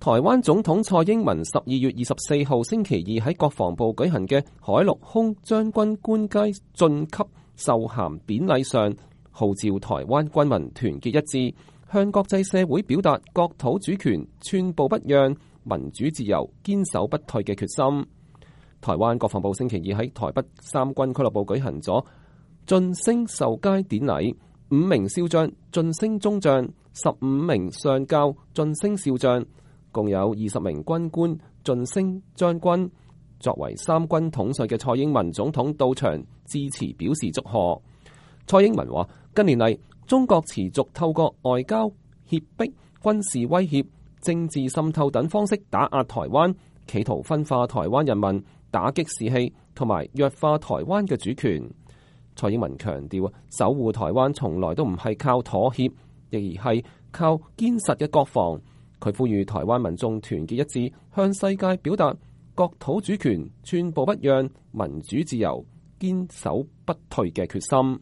台灣總統蔡英文12月24號星期二喺國防部舉行嘅海陸空將軍官階晉級授銜典禮上，號召台灣軍民團結一致，向國際社會表達國土主權寸步不讓、民主自由堅守不退嘅決心。台灣國防部星期二喺台北三軍俱樂部舉行咗晉升授階典禮，5名少將晉升中將，15名上校晉升少將，共有20名軍官晉升將軍。作為三軍統帥嘅蔡英文總統到場致辭表示祝賀。蔡英文話：近年嚟，中國持續透過外交、脅迫、軍事威脅、政治滲透等方式打壓台灣，企圖分化台灣人民，打擊士氣同埋弱化台灣嘅主權。蔡英文強調，守護台灣從來都唔係靠妥協，而係靠堅實嘅國防。佢呼籲台灣民眾團結一致，向世界表達國土主權寸步不讓、民主自由堅守不退嘅決心。